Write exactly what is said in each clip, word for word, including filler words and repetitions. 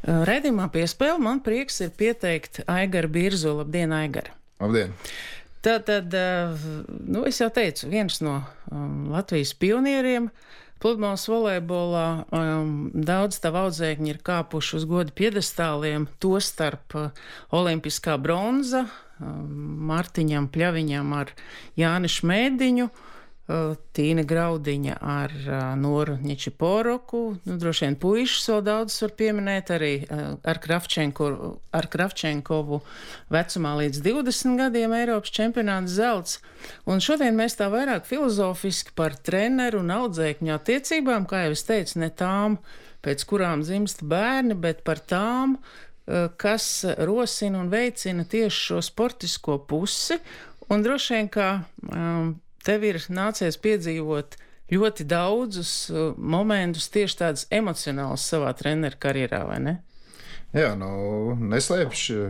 Raidījumā Piespēle man prieks ir pieteikt Aigaru Birzu. Labdien, Aigara! Labdien! Tātad, nu, es jau teicu, viens no um, Latvijas pionieriem pludmales volejbolā. Um, daudz tavu audzēkņi ir kāpuši uz goda piedestāliem, tostarp uh, olimpiskā bronza um, Martiņam Pļaviņam ar Jāni Šmēdiņu, uh, Tīna Graudiņa ar uh, Noru Ņečiporoku, nu, droši vien puišus vēl daudz var pieminēt, arī uh, ar, Kravčenko, ar Kravčenkovu vecumā līdz divdesmit gadiem Eiropas čempionāts zelts. Un šodien mēs tā vairāk filozofiski par treneru un audzēkņu attiecībām, kā jau es teicu, ne tām, pēc kurām dzimst bērni, bet par tām, uh, kas rosina un veicina tieši šo sportisko pusi. Un droši vien, ka um, tev ir nācies piedzīvot ļoti daudzus uh, momentus, tieši tādus emocionālus savā treneru karjerā, vai ne? Jā, nu, neslēpšu.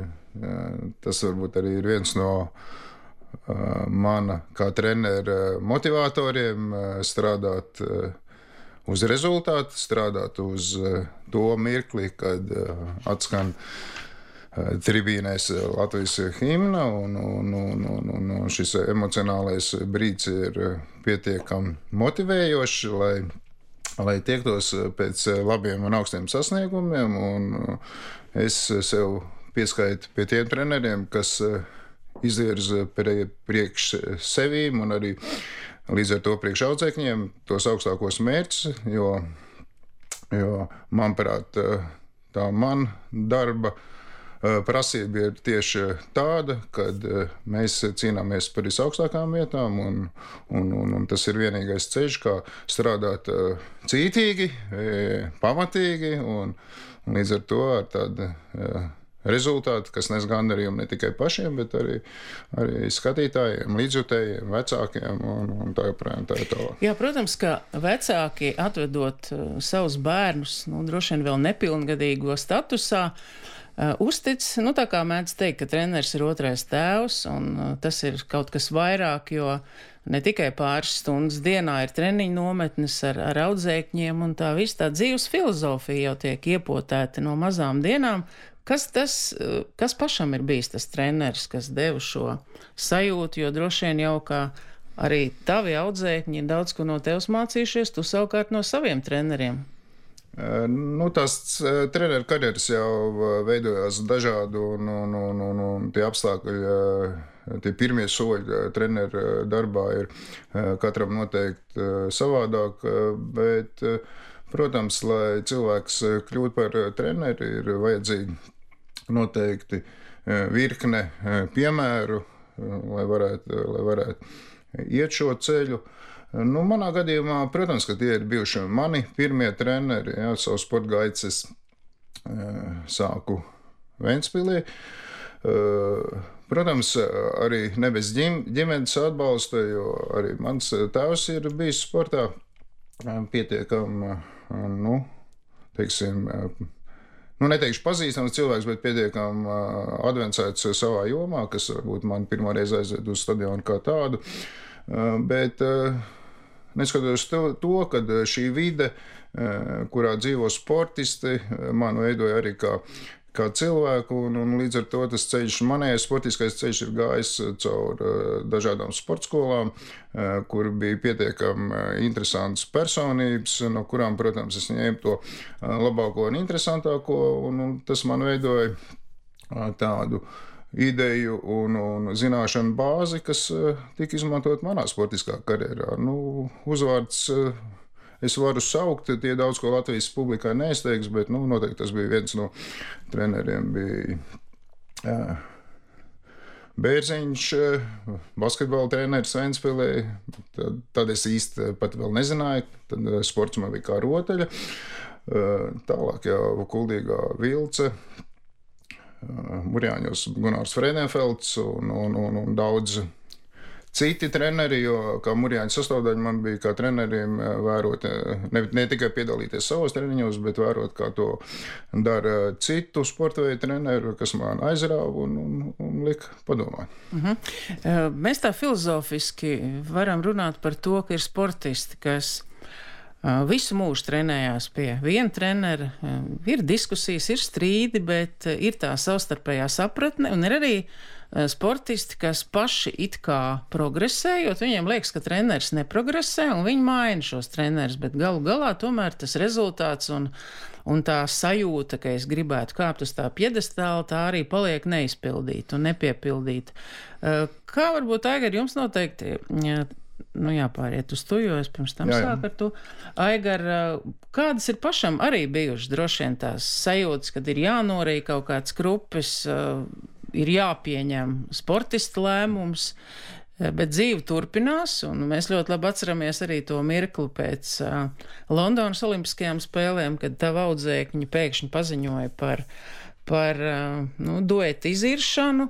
Tas varbūt arī ir viens no uh, mana kā trenera motivatoriem uh, strādāt uh, uz rezultātu, strādāt uz uh, to mirkli, kad uh, atskan tribīnēs Latvijas himna, un, un, un, un, un šis emocionālais brīdis ir pietiekami motivējošs, lai, lai tiektos pēc labiem un augstiem sasniegumiem. Un es sev pieskaitu pie tiem treneriem, kas izvirza priekš sevīm un arī līdz ar to priekš audzēkņiem tos augstākos mērķus, jo, jo manuprāt, tā man darba prasība ir tieši tāda, kad mēs cīnāmies par visaugstākām vietām, un, un, un, un tas ir vienīgais ceļš, kā strādāt cītīgi, pamatīgi, un, un līdz ar to ar tādu rezultātu, kas nes gandarījumu ne tikai pašiem, bet arī, arī skatītājiem, līdzjutējiem, vecākiem un, un tā joprojām tā ir tālāk. Jā, protams, ka vecāki atvedot uh, savus bērnus, nu, droši vien vēl nepilngadīgo statusā, uh, uztic, nu, tā kā mēdz teikt, ka treneris ir otrais tēvs, un uh, tas ir kaut kas vairāk, jo ne tikai pāris stundas dienā ir treniņu nometnes ar, ar audzēkņiem, un tā viss tā dzīves filozofija jau tiek iepotēta no mazām dienām. Kas tas, kas pašam ir bijis tas treneris, kas deva šo sajūtu, jo droši vien jau kā arī tavi audzēkņi ir daudz ko no tevis mācījušies, tu savukārt no saviem treneriem? Nu, tās treneru karjeras jau veidojās dažādu, un, un, un, un, un tie apstākļi, tie pirmie soļi treneru darbā ir katram noteikti savādāk, bet, protams, lai cilvēks kļūtu par treneri, ir vajadzīgi noteikti virkne piemēru, lai varētu, lai varētu iet šo ceļu. Nu, manā gadījumā, protams, ka tie ir bijuši mani pirmie treneri. Jā, savu sporta gaitas es sāku Ventspilī. Protams, arī ne bez ģimenes atbalsta, jo arī mans tēvs ir bijis sportā pietiekami, nu, teiksim, nu, neteikšu pazīstams cilvēks, bet pietiekami advancēts savā jomā, kas varbūt man pirmā reize aizved uz stadionu kā tādu. Bet neskatoties to, to, kad šī vide, kurā dzīvo sportisti, man veidoja arī kā kā cilvēku, un, un līdz ar to tas ceļš, manējais sportiskais ceļš ir gājis caur dažādām sportskolām, kur bija pietiekami interesantas personības, no kurām, protams, es ņēmu to labāko un interesantāko, un, un tas man veidoja tādu ideju un, un zināšanu bāzi, kas tika izmantot manā sportiskā karjerā. Nu, uzvārds es varu saukt, tie daudz ko Latvijas publikai neizteiks, bet nu, noteikti tas bija viens no treneriem. Bija jā, Bērziņš, basketbola treneris Ventspilī. Tad, tad es īsti pat vēl nezināju, tad sports man bija kā rotaļa. Tālāk jau Kuldīgā Vilce, Murjāņos Gunārs Freidenfelds un, un, un, un daudz citi treneri, jo kā Murjāņu sastāvdaļa man bija kā treneriem vērot, ne, ne tikai piedalīties savos treniņos, bet vērot, kā to dara citu sportveidu treneru, kas man aizrāva un, un, un lika padomāt. Uh-huh. Mēs tā filozofiski varam runāt par to, ka ir sportisti, kas visu mūžu trenējās pie viena trenera. Ir diskusijas, ir strīdi, bet ir tā savstarpējā sapratne, un ir arī sportisti, kas paši it kā progresējot, viņiem liekas, ka treneris neprogresē, un viņi maina šos trenerus, bet galu galā tomēr tas rezultāts un, un tā sajūta, ka es gribētu kāpt uz tā pjedestāla, tā arī paliek neizpildīta un nepiepildīta. Kā varbūt, Aigar, jums noteikti, nu jāpāriet uz to, jo es pirms tam jā, jā. sāku ar to. Aigar, kādas ir pašam arī bijušas droši vien tās sajūtas, kad ir jānorī kaut kāds krupis, ir jāpieņem sportista lēmums, bet dzīve turpinās, un mēs ļoti labi atceramies arī to mirkli pēc uh, Londonas olimpiskajām spēlēm, kad tava audzēkņi pēkšņi paziņoja par, par uh, nu, duetu iziršanu,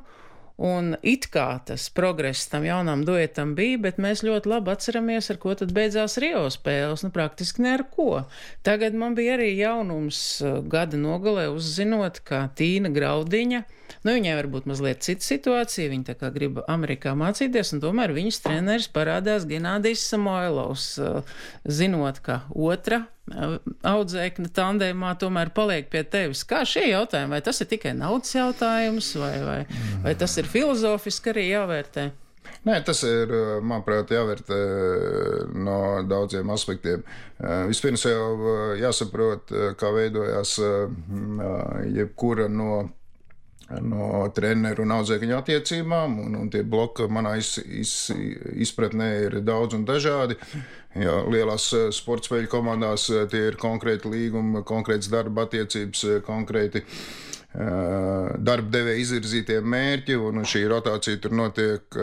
un it kā tas progress tam jaunam duetam bija, bet mēs ļoti labi atceramies, ar ko tad beidzās Rio spēles, nu praktiski ne ar ko. Tagad man bija arī jaunums gada nogalē uzzinot, ka Tīna Graudiņa, nu viņai varbūt mazliet cita situācija, viņa tā kā grib Amerikā mācīties, un tomēr viņas treneris parādās Genādijs Samoilovs, zinot, ka otra audzēkņa tandēmā tomēr paliek pie tevis. Kā šie jautājumi? Vai tas ir tikai naudas jautājums, vai, vai, vai tas ir filozofiski arī jāvērtē? Nē, tas ir, manuprāt, jāvērtē no daudziem aspektiem. Vispirms jau jāsaprot, kā veidojās jebkura no no treneru un audzēkņu attiecībām, un, un tie bloki manā iz, iz, izpratnē ir daudz un dažādi. Jā, lielās sporta spēļu komandās tie ir konkrēti līgumi, konkrētas darba attiecības, konkrēti uh, darba devēja izvirzītie mērķi, un šī rotācija tur notiek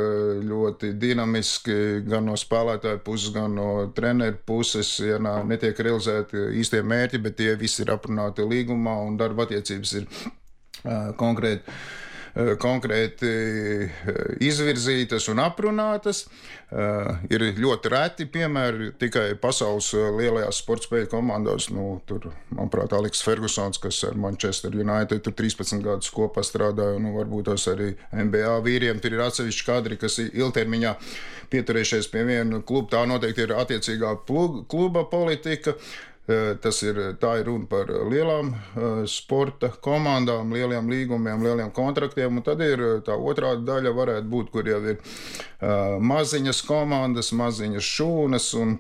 ļoti dinamiski gan no spēlētāju puses, gan no treneru puses. Ja nā, netiek realizēti īstie mērķi, bet tie visi ir aprunāti līgumā, un darba attiecības ir konkrēti, konkrēti izvirzītas un aprunātas. Ir ļoti reti piemēri tikai pasaules lielajās sporta spēļu komandās. Nu, tur, manuprāt, Aleks Fergusons, kas ar Manchester United tur trīspadsmit gadus kopā strādāja, un nu, varbūt tos arī N B A vīriem. Tur ir atsevišķi kadri, kas ilgtermiņā pieturējušies pie viena kluba. Tā noteikti ir attiecīgā kluba politika. Tas ir, tā ir runa par lielām uh, sporta komandām, lieliem līgumiem, lieliem kontraktiem, un tad ir tā otrā daļa varētu būt, kur jau ir uh, maziņas komandas, maziņas šūnas, un,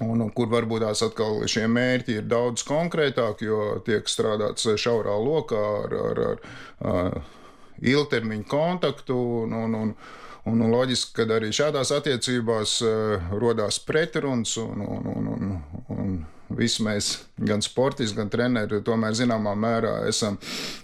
un, un kur varbūt tās atkal šie mērķi ir daudz konkrētāki, jo tiek strādāts šaurā lokā ar, ar, ar uh, ilgtermiņu kontaktu, un, un, un, un, un loģiski, ka arī šādās attiecībās uh, rodās pretruns, un, un, un, un, un visi mēs, gan sportisti, gan treneri, tomēr zināmā mērā esam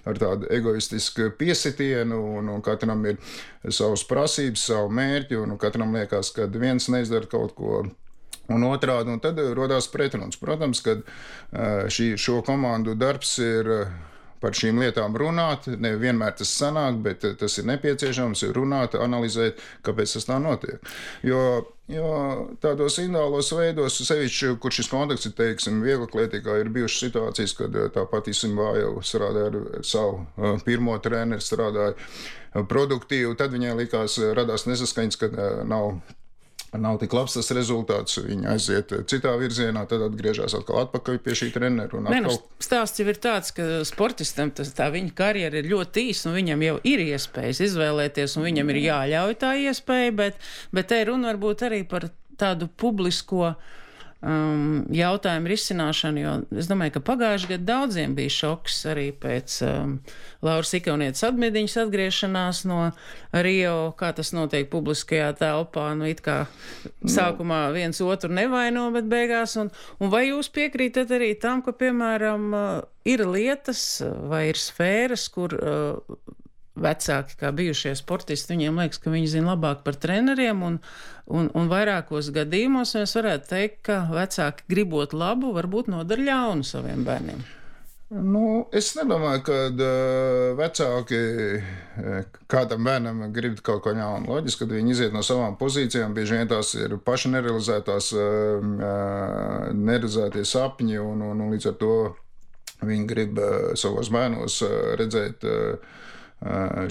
ar tādu egoistisku piesitienu, un, un katram ir savas prasības, savu mērķi, un katram liekas, ka viens neizdara kaut ko un otrādi, un tad rodās pretruns. Protams, ka šī, šo komandu darbs ir par šīm lietām runāt, ne vienmēr tas sanāk, bet tas ir nepieciešams runāt, analizēt, kāpēc tas tā notiek. Jo, jo tādos individuālos veidos, sevišķi, kur šis kontakts ir, teiksim, vieglaklētīgā, ir bijušas situācijas, kad tāpat Isimvā jau strādāja ar savu pirmo treneri, strādāja produktīvi, tad viņai likās, radās nesaskaņas, kad nav nav tik labs tas rezultāts, viņi aiziet citā virzienā, tad atgriežas atkal atpakaļ pie šī treneru. Un atkal... Nu, stāsts jau ir tāds, ka sportistam tas, tā viņa karjera ir ļoti īsa, un viņam jau ir iespējas izvēlēties, un viņam ir jāļauj tā iespēja, bet, bet te runa varbūt arī par tādu publisko um, jautājumu risināšanu, jo es domāju, ka pagājuši gadu daudziem bija šoks arī pēc um, Lauras Ikaunietes atmidiņas atgriešanās no Rio, kā tas notiek publiskajā telpā, nu it kā sākumā viens otru nevaino, bet beigās, un, un vai jūs piekrītat arī tam, ka, piemēram, ir lietas vai ir sfēras, kur uh, vecāki, kā bijušie sportisti, viņiem liekas, ka viņi zina labāk par treneriem, un, un, un vairākos gadījumos mēs varētu teikt, ka vecāki gribot labu, varbūt nodara ļaunu saviem bērniem. Nu, es nedomāju, ka uh, vecāki kādam bērnam grib kaut ko ļaunu. Loģiski, kad viņi iziet no savām pozīcijām, bieži vien tās ir paši nerealizētās, uh, nerealizētie sapņi, un, un, un līdz ar to viņi grib uh, savos bērnos uh, redzēt uh,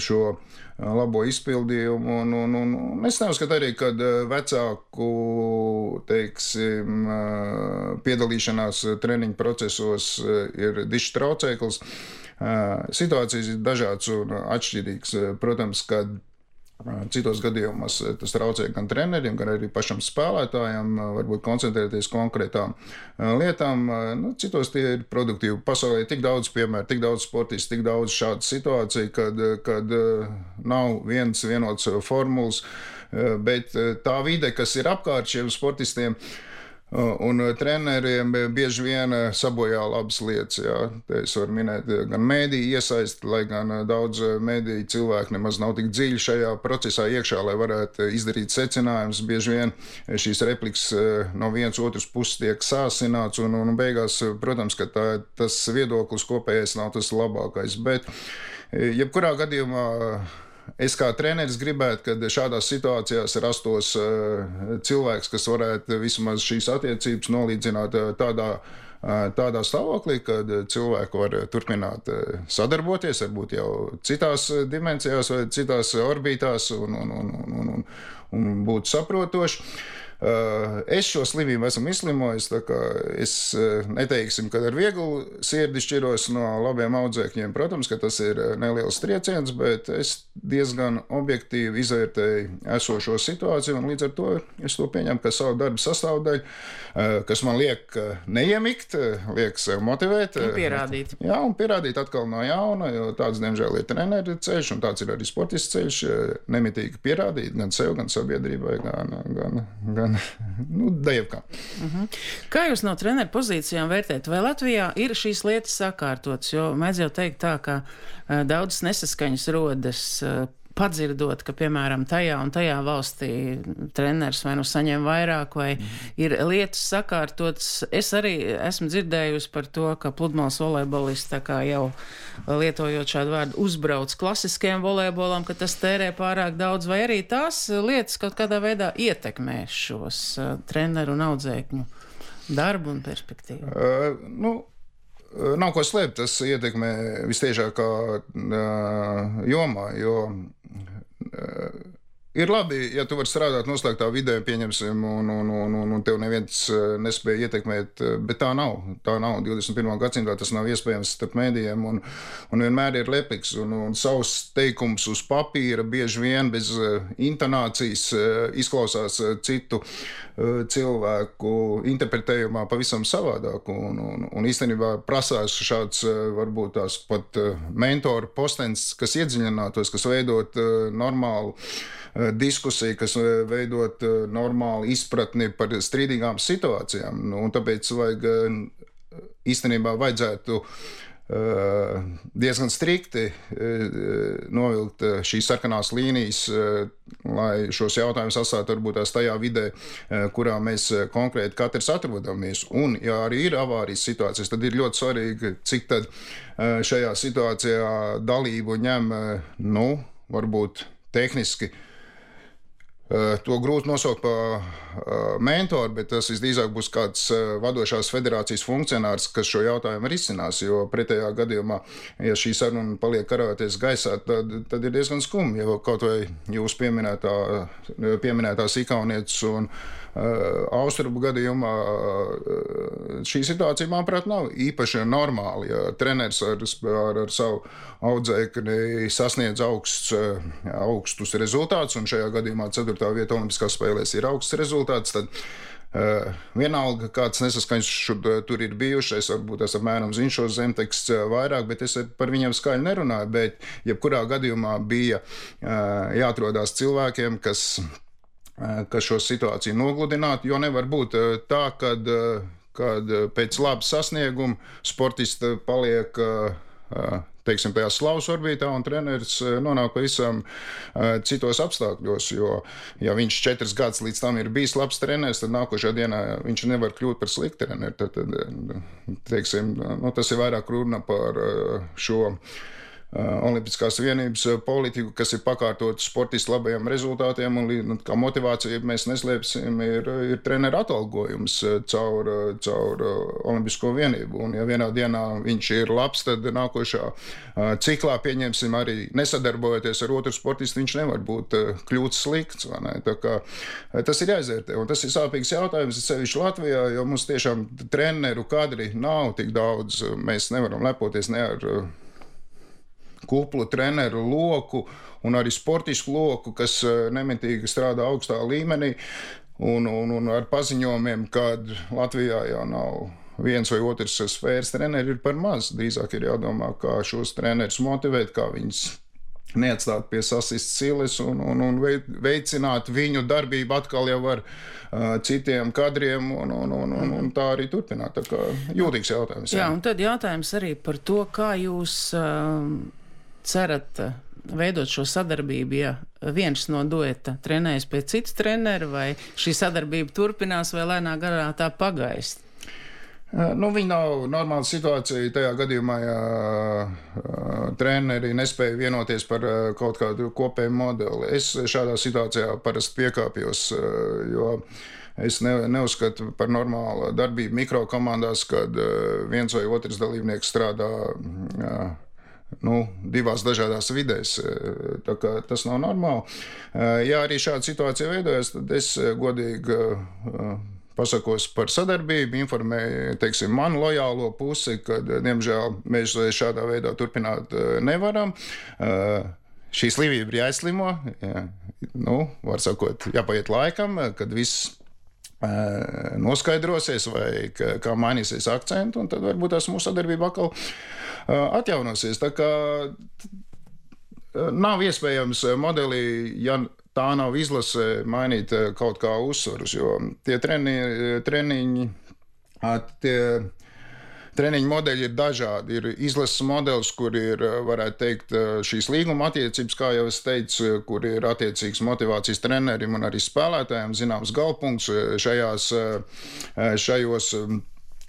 šo labo izpildījumu. Un, un, un, un es neuzskatu arī, ka vecāku, teiksim, piedalīšanās treniņu procesos ir dišs traucēklis. Situācijas ir dažādas un atšķirīgas. Protams, kad citos gadījumos tas traucē gan treneriem, gan arī pašam spēlētājam, varbūt koncentrēties konkrētām lietām. Nu, citos tie ir produktīvi. Pasaulē ir tik daudz piemēru, tik daudz sportistu, tik daudz šādu situāciju, kad, kad nav viens vienots formulas, bet tā vide, kas ir apkārt šiem sportistiem, un treneriem bieži vien sabojā labas lietas. Jā. Te es varu minēt gan mēdīju iesaisti, lai gan daudz mēdīju cilvēku nemaz nav tik dziļi šajā procesā iekšā, lai varētu izdarīt secinājumus. Bieži vien šīs replikas no vienas otras puses tiek sāsināts, un, un beigās, protams, ka tā, tas viedoklis kopējais nav tas labākais. Bet jebkurā gadījumā es kā treneris gribētu, kad šādās situācijās rastos cilvēks, kas varētu vismaz šīs attiecības nolīdzināt tādā, tādā stāvoklī, kad cilvēki var turpināt sadarboties, varbūt jau citās dimensijās vai citās orbītās un, un, un, un, un, un būt saprotoši. Es šo slimību esmu izslimojis, tā kā es neteiksim, ka ar vieglu sirdi šķiros no labiem audzēkņiem. Protams, ka tas ir neliels trieciens, bet es diezgan objektīvi izvērtēju esošo situāciju, un līdz ar to es to pieņemu kā savu darbu sastāvdaļu, kas man liek neiemikt, liek sev motivēt. Un pierādīt. Jā, un pierādīt atkal no jauna, jo tāds, diemžēl, ir treneru ceļš, un tāds ir arī sportists ceļš, nemitīgi pierādīt gan sev, gan sabiedrībai, gan, gan, gan nu, dejavkā. Uh-huh. Kā jūs no treneru pozīcijām vērtējat? Vai Latvijā ir šīs lietas sakārtotas? Jo mēdz jau teikt tā, ka uh, daudzas nesaskaņas rodas uh, padzirdot, ka, piemēram, tajā un tajā valstī treneris vai nu saņem vairāk, vai mm. ir lietas sakārtotas. Es arī esmu dzirdējusi par to, ka pludmales volejbolisti tā kā jau lietojot šādu vārdu uzbrauc klasiskajam volejbolam, ka tas tērē pārāk daudz, vai arī tās lietas kaut kādā veidā ietekmē šos uh, treneru un audzēkņu darbu un perspektīvu. Uh, nu. Nav ko slēpt, tas ietekmē vistiešākā uh, jomā, jo uh, ir labi, ja tu vari strādāt noslēgtā vidē, pieņemsim, un, un, un, un tev neviens nespēja ietekmēt, bet tā nav. Tā nav. divdesmit pirmā gadsimtā tas nav iespējams starp mēdījiem, un, un vienmēr ir lepliks, un, un savs teikums uz papīra bieži vien bez intonācijas izklausās citu cilvēku interpretējumā pavisam savādāk, un, un, un īstenībā prasās šāds varbūt tās pat mentoru postens, kas iedziļinātos, kas veidot normālu diskusiju, kas veidot normālu izpratni par strīdīgām situācijām. Nu, un tāpēc vajag īstenībā vajadzētu diezgan strikti novilkt šīs sarkanās līnijas, lai šos jautājumus atstātu varbūt tās tajā vidē, kurā mēs konkrēti katrs atrodamies. Un, ja arī ir avārijas situācijas, tad ir ļoti svarīgi, cik tad šajā situācijā dalību ņem, nu, varbūt tehniski. To grūti nosaukt par mentoru, bet tas visdrīzāk būs kāds vadošās federācijas funkcionārs, kas šo jautājumu risinās, jo pretējā gadījumā, ja šī saruna paliek karāties gaisā, tad, tad ir diezgan skumji, jo kaut vai jūs pieminētā, pieminētās ikaunietes un uh, austrubu gadījumā uh, šī situācija, manuprāt, nav īpaši normāla, ja treneris ar, ar, ar savu audzēkni sasniedz augsts, augstus rezultātus, un šajā gadījumā ceturtā vieta olimpiskās spēlēs ir augsts rezultāts, tad uh, vienalga kāds nesaskaņas šur, tur ir bijušais, varbūt es apmēram zinu šos zemteksts vairāk, bet es par viņiem skaļi nerunāju, bet jebkurā gadījumā bija uh, jāatrodās cilvēkiem, kas, uh, kas šo situāciju nogludinātu, jo nevar būt uh, tā, kad, uh, kad pēc laba sasnieguma sportista paliek uh, teiksim, tajā slavas orbītā, un treneris nonāk pavisam uh, citos apstākļos, jo, ja viņš četras gadus līdz tam ir bijis labs treneris, tad nākošajā dienā viņš nevar kļūt par sliktu treneri. Tad, tad, teiksim, nu, tas ir vairāk runa par uh, šo Olimpiskās vienības politiku, kas ir pakārtot sportistu labajiem rezultātiem, un nu, kā motivācija, mēs neslēpsim, ir, ir treneru atalgojums caur, caur Olimpisko vienību. Un ja vienā dienā viņš ir labs, tad nākošā ciklā, pieņemsim, arī nesadarbojoties ar otru sportistu, viņš nevar būt kļūts slikts. Vai ne? Tā kā tas ir jāizvērtē, un tas ir sāpīgs jautājums, sevišķi Latvijā, jo mums tiešām treneru kadri nav tik daudz. Mēs nevaram lepoties ne ar kuplu treneru loku un arī sportisku loku, kas nemitīgi strādā augstā līmenī, un, un, un ar paziņojumiem, kad Latvijā jau nav viens vai otrs sfēras treneri, ir par maz. Drīzāk ir jādomā, kā šos trenerus motivēt, kā viņus neatstāt pie sasistas silas un, un, un veicināt viņu darbību atkal jau ar uh, citiem kadriem un, un, un, un, un tā arī turpināt. Tā kā jūtīgs jautājums. Jā, un tad jautājums arī par to, kā jūs uh, cerat uh, veidot šo sadarbību, ja viens no dueta trenējas pie citu treneru, vai šī sadarbība turpinās, vai lēnā garā tā pagaist? Nu, viņa nav normāla situācija tajā gadījumā, ja uh, treneri nespēja vienoties par uh, kaut kādu kopēju modeli. Es šādā situācijā parasti piekāpjos, uh, jo es ne, neuzskatu par normālu darbību mikrokomandās, kad uh, viens vai otrs dalībnieks strādā uh, nu, divās dažādās vidēs. Tā kā tas nav normāli. Uh, ja arī šāda situācija veidojas, tad es godīgi uh, pasakos par sadarbību, informēju, teiksim, manu lojālo pusi, kad, diemžēl, mēs šādā veidā turpināt nevaram. Šī slimība ir jāizslimo, jā, nu, var sakot, jāpaiet laikam, kad viss noskaidrosies vai kā mainīsies akcentu, un tad varbūt tās mūsu sadarbība atkal atjaunosies. Tā kā nav iespējams modelī, ja tā nav izlase, mainīt kaut kā uzsvarus, jo tie treni, treniņi, tie treniņu modeļi ir dažādi. Ir izlases modelis, kur ir, varētu teikt, šīs līguma attiecības, kā jau es teicu, kur ir attiecīgs motivācijas trenerim un arī spēlētājiem, zināms galpunkts šajās, šajos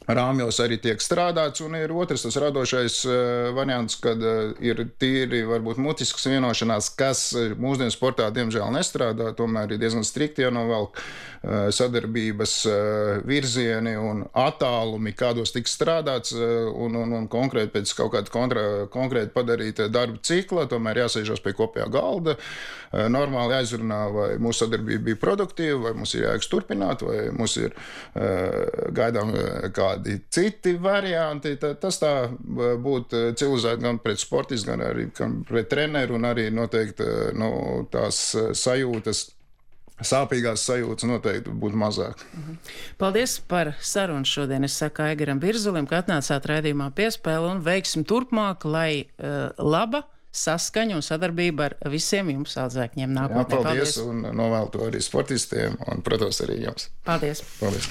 rāmjos arī tiek strādāts, un ir otrs tas radošais uh, variants, kad uh, ir tīri varbūt mutisks vienošanās, kas mūsdienu sportā diemžēl nestrādā, tomēr ir diezgan strikti jānovelk uh, sadarbības uh, virzieni un attālumi, kādos tiks strādāts, uh, un, un, un konkrēti pēc kaut kāda kontra, konkrēti padarīta darba cikla, tomēr jāsēžos pie kopējā galda, uh, normāli jāizrunā, vai mūsu sadarbība bija produktīva, vai mums ir jāiks turpināt, vai mums ir uh, gaidām uh, kā citi varianti. Tas tā būtu civilizēti gan pret sportistu, gan arī gan pret treneru, un arī noteikti nu, tās sajūtas, sāpīgās sajūtas noteikti būtu mazāk. Paldies par sarunu šodien. Es saku Aigaram Birzulim, ka atnācāt raidījumā Piespēle, un veiksim turpmāk, lai uh, laba saskaņa un sadarbība ar visiem jums audzēkņiem nākotnē. Jā, paldies, paldies, un novēlu to arī sportistiem un, protams, arī jums. Paldies. Paldies.